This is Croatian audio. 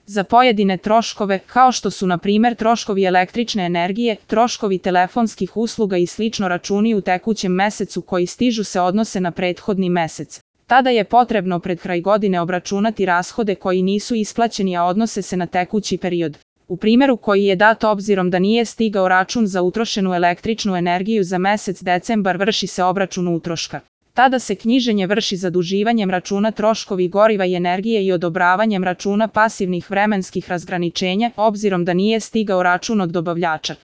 Za pojedine troškove, kao što su na primjer troškovi električne energije, troškovi telefonskih usluga i slično, računi u tekućem mesecu koji stižu se odnose na prethodni mesec. Tada je potrebno pred kraj godine obračunati rashode koji nisu isplaćeni, a odnose se na tekući period. U primjeru koji je dat, obzirom da nije stigao račun za utrošenu električnu energiju za mesec decembar, vrši se obračun utroška. Tada se knjiženje vrši zaduživanjem računa troškovi goriva i energije i odobravanjem računa pasivnih vremenskih razgraničenja, obzirom da nije stigao račun od dobavljača.